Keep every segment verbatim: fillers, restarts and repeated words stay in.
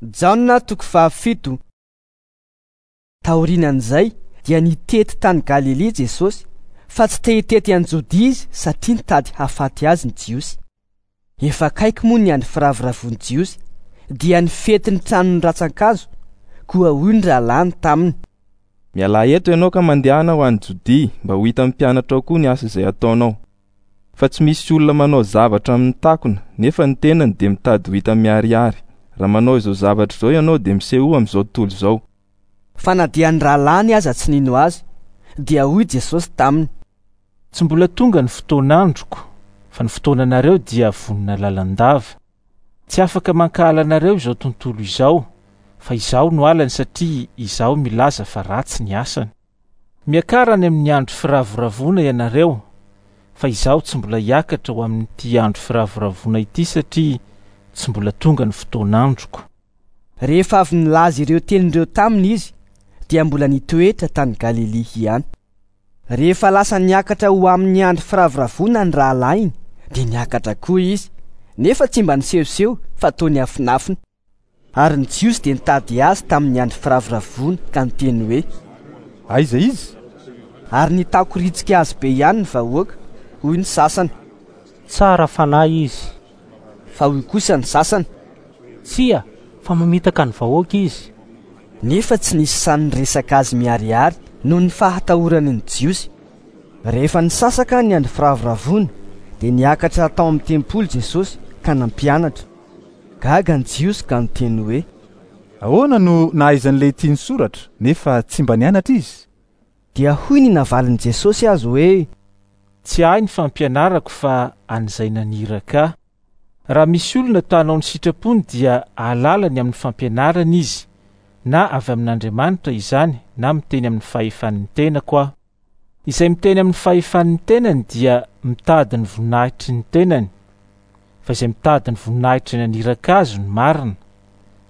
Jaona toko fahafito. Taorian'izay dia nitety tany Galilia Jesosy, fa tsy te hitety an'i Jodia izy satria nitady hahafaty azy ny Jiosy. Efa akaiky moa ny andro firavoravoan'ny Jiosy, dia ny fetin'ny tranon'ny rantsan-kazo, koa hoy ny rahalahiny taminy: Mialà eto ianao ka mandehana ho any Jodia mba ho hitan'ny mpianatrao koa ny asa izay ataonao. Fa tsy misy olona manao zavatra amin'ny takona, nefa ny tenany dia mitady ho hita miharihary. Raha manao izao zavatra izao ianao dia misehoa amin'izao tontolo izao. Fa na dia ny rahalahiny aza tsy nino azy, dia hoy Jesosy taminy: Tsy mbola tonga ny fotoan'androko, fa ny fotoananareo dia vonona lalandava. Tsy afaka mankahala anareo izao tontolo izao, fa izaho no halany satria izaho milaza fa ratsy ny asany. Miakara any amin'ny andro firavoravoana ianareo, fa izaho tsy mbola hiakatra ho amin'ity andro firavoravoana ity satria tsy mbola tonga ny fotoan'androko. Rehefa avy nilaza ireo teny ireo taminy izy, dia mbola nitoetra tany Galilia ihany. Rehefa lasa niakatra ho amin'ny andro firavoravoana ny rahalahiny, dia niakatra koa izy, nefa tsy mba nisehoseho fa toa niafinafina. Ary ny Jiosy dia nitady azy tamin'ny andro firavoravoana ka niteny hoe: Aiza izy? Ary nitakoritsika azy be ihany ny vahoaka, hoy ny sasany: Tsara fanahy izy. Fa hoy kosa ny sasany: Tsia, fa mamitaka ny vahoaka izy. Nefa tsy nisy sahy niresaka azy miharihary noho ny fahatahorany ny Jiosy. Rehefa nisasaka ny andro firavoravoana, dia niakatra tao amin'ny tempoly Jesosy ka nampianatra. Gaga ny Jiosy ka niteny hoe: Ahoana no nahaizan'ilay ity ny soratra, nefa tsy mba nianatra izy? Dia hoy ny navalin'i Jesosy azy hoe: Tsy ahy ny fampianarako fa an'izay naniraka ahy. Raha misy olona ta hanao ny sitrapony dia hahalala ny amin'ny fampianarana izy, na avy amin'Andriamanitra izany na miteny amin'ny fahefan'ny tenako aho. Izay miteny amin'ny fahefan'ny tenany dia mitady ny voninahitry ny tenany, fa izay mitady ny voninahitry ny naniraka azy no marina,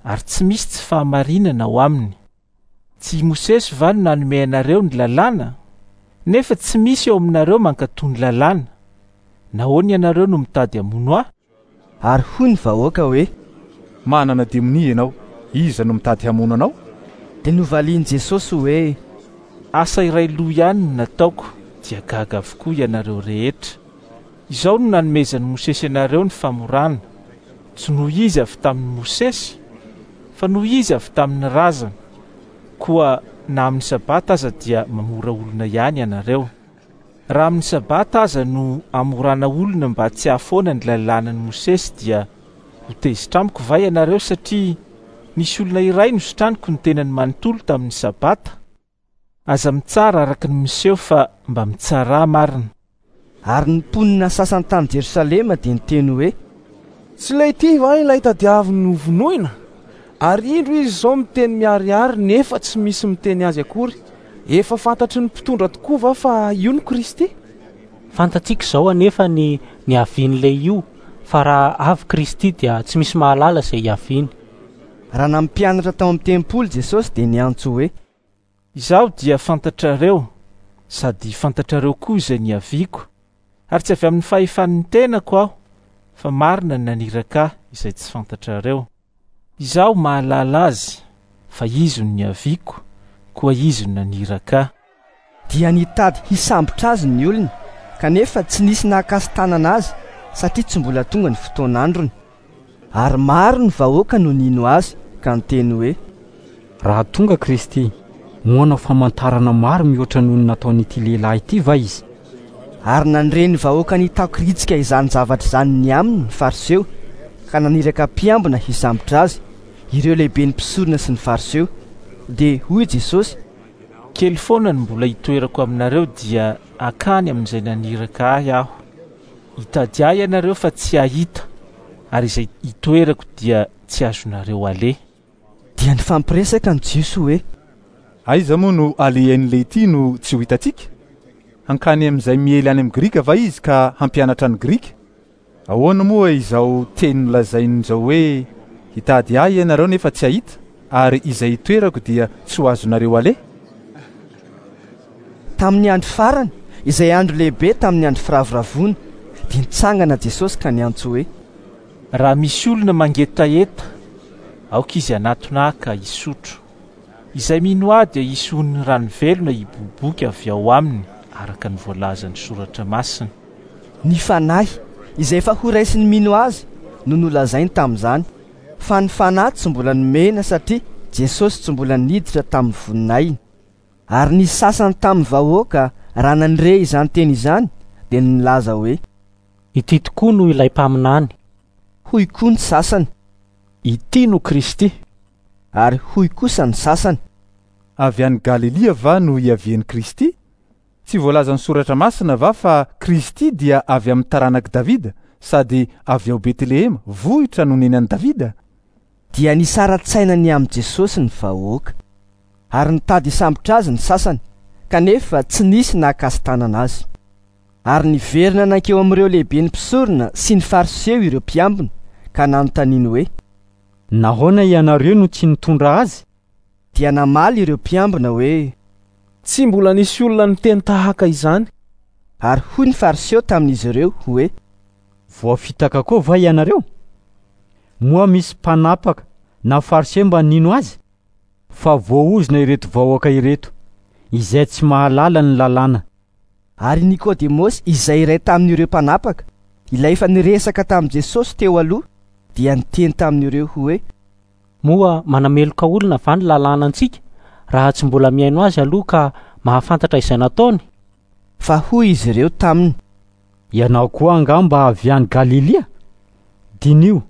ary tsy misy tsy fahamarinana ao aminy. Tsy i Mosesy va no nanome anareo ny lalàna? Nefa tsy misy eo aminareo mankatò ny lalàna. Nahoana ianareo no mitady hamono ahy? Ary hoy ny vahoaka hoe: Manana demonia ianao, iza no mitady hamono anao? Dia novalian'i Jesosy hoe: Asa iray loha ihany no nataoko, dia gaga avokoa ianareo rehetra. Izao no nanomezan'i Mosesy anareo ny famorana, tsy noho izy avy tamin'i Mosesy, fa noho izy avy tamin'ny razana. Koa na amin'ny sabata aza dia mamora olona ihany ianareo. Raha amin'ny sabata aza no amorana olona mba tsy hahafoana ny lalànan'i Mosesy, dia ho tezitra amiko va ianareo satria nisy olona iray nositraniko ny tenany manontolo tamin'ny sabata? Aza mitsara araka ny miseho fa mba mitsarà marina. Ary ny mponina sasany tany Jerosalema dia niteny hoe: Tsy ilay ity va ilay tadiaviny hovonoina? Ary indro izy izao miteny miharihary nefa tsy misy miteny azy akory. Efa fantatry ny mpitondra tokoa va fa io no Kristy? Fantatsika izao anefa ny niavian'ilay io, fa raha avy Kristy dia tsy misy mahalala izay hiaviany. Raha nampianatra tao amin'ny tempoly Jesosy dia niantso hoe: Izaho dia fantatrareo, sady fantatrareo koa izay niaviako, ary tsy avy amin'ny fahefan'ny tenako aho, fa marina ny naniraka ahy izay tsy fantatrareo. Izaho mahalala azy, fa izy no niaviako, koa izy no naniraka ahy. Dia nitady hisambotra azy ny olona, kanefa tsy nisy nahakasi-tanana azy satria tsy mbola tonga ny fotoan'androny. Ary maro ny vahoaka no nino azy ka niteny hoe: Raha tonga Kristy, moa hanao famantarana maro mihoatra noho ny nataon'ity lehilahy ity va izy? Ary nandre ny vahoaka nitakoritsika izany zavatra izany ny aminy ny Fariseo, ka naniraka mpiambina hisambotra azy, ireo lehiben'ny mpisorona sy ny Fariseo. Dia hoy Jesosy: Kely foana no mbola hitoerako aminareo, dia hakany amin'izay naniraka ahy aho. Hitady ahy ianareo fa tsy hahita, ary izay hitoerako dia tsy azonareo aleha. Dia nifampiresaka ny Jiosy hoe: Aiza moa no alehan'ilay ity no tsy ho hitantsika? Hankany amin'izay miely any amin'ny Grika va izy ka hampianatra ny Grika? Ahoana moa izao teny nolazainy izao hoe: Hitady ahy ianareo nefa tsy hahita, ary izay hitoerako dia tsy ho azonareo aleha? Tamin'ny andro farany, izay andro lehibe tamin'ny andro firavoravoana, dia nitsangana Jesosy ka niantso hoe: Raha misy olona mangetaheta, Aoka izy hanatona ahy ka hisotro. Izay mino ahy dia hisy onin'ny rano velona hiboiboika avy ao aminy, araka ny voalazan'ny Soratra Masina. Ny Fanahy izay efa horaisin'ny mino azy no nolazainy tamin'izany, fa ny Fanahy tsy mbola nomena satria Jesosy tsy mbola niditra tamin'ny voninahiny. Ary ny sasany tamin'ny vahoaka raha nandre izany teny izany dia nilaza hoe: Ity tokoa no ilay mpaminany. Hoy koa ny sasany: Ity no Kristy. Ary hoy kosa ny sasany: Avy any Galilia va no hiavian'i Kristy? Tsy voalazan'ny Soratra Masina va fa Kristy dia avy amin'ny taranak'i Davida sady avy ao Betlehema, vohitra nonenan'i Davida? Dia nisara-tsaina ny amin'i Jesosy ny vahoaka. Ary nitady hisambotra azy ny sasany, kanefa tsy nisy nahakasi-tanana azy. Ary niverina nankeo amin'ireo lehiben'ny mpisorona sy ny Fariseo ireo mpiambina, ka nanontaniany hoe: Nahoana ianareo no tsy nitondra azy? Dia namaly ireo mpiambina hoe: Tsy mbola nisy olona niteny tahaka izany. Ary hoy ny Fariseo tamin'izy ireo hoe: Voafitaka koa va ianareo? Moa misy mpanapaka na Fariseo mba nino azy? Fa voaozona ireto vahoaka ireto, izay tsy mahalala ny lalàna. Ary Nikodemosy, izay iray tamin'ireo mpanapaka, ilay efa niresaka tamin'i Jesosy teo aloha, dia niteny tamin'ireo hoe: Moa manameloka olona va ny lalàna antsika raha tsy mbola mihaino azy aloha ka mahafantatra izay nataony? Fa hoy izy ireo taminy: Ianao koa angamba avy any Galilia? Diniho,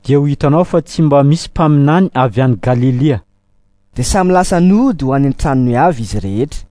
dia ho hitanao fa tsy mba misy mpaminany avy any Galilia. Dia samy lasa nody ho any an-tranony avy izy rehetra.